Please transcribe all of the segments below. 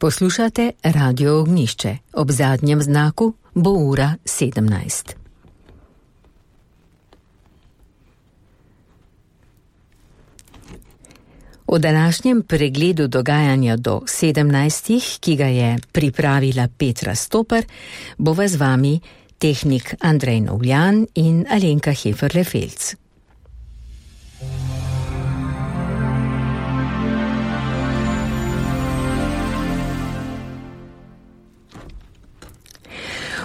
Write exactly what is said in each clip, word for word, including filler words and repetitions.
Poslušate Radio Ognjišče. Ob zadnjem znaku bo ura sedemnajst. V današnjem pregledu dogajanja do sedemnajstih, ki ga je pripravila Petra Stoper, bova z vami tehnik Andrej Novljan in Alenka Heferle-Felc.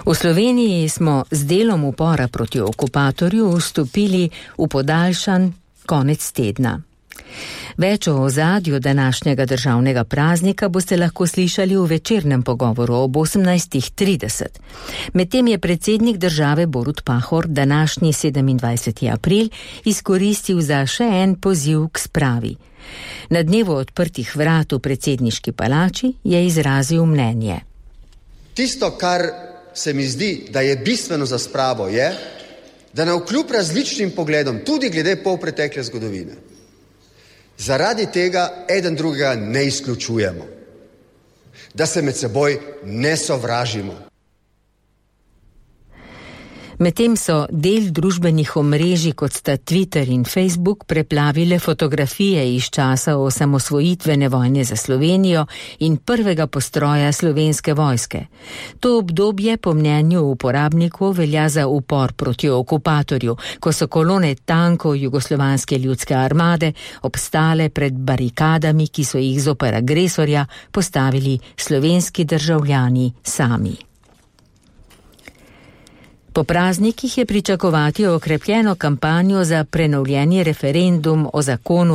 V Sloveniji smo z delom upora proti okupatorju vstopili v podaljšan konec tedna. Več o ozadju današnjega državnega praznika boste lahko slišali v večernem pogovoru ob osemnajstih trideset. Medtem je predsednik države Borut Pahor današnji sedemindvajseti april izkoristil za še en poziv k spravi. Na dnevu odprtih vrat v predsedniški palači je izrazil mnenje. Tisto, kar se mi zdi, da je bistveno za spravo, je, da navkljub različnim pogledom, tudi glede polpretekle zgodovine, zaradi tega eden drugega ne izključujemo, da se med seboj ne sovražimo. Medtem so del družbenih omrežij, kot sta Twitter in Facebook, preplavile fotografije iz časa osamosvojitvene vojne za Slovenijo in prvega postroja slovenske vojske. To obdobje po mnenju uporabnikov velja za upor proti okupatorju, ko so kolone tankov Jugoslovanske ljudske armade obstale pred barikadami, ki so jih zoper agresorja postavili slovenski državljani sami. Po praznikih je pričakovati okrepljeno kampanjo za prenovljeni referendum o zakonu o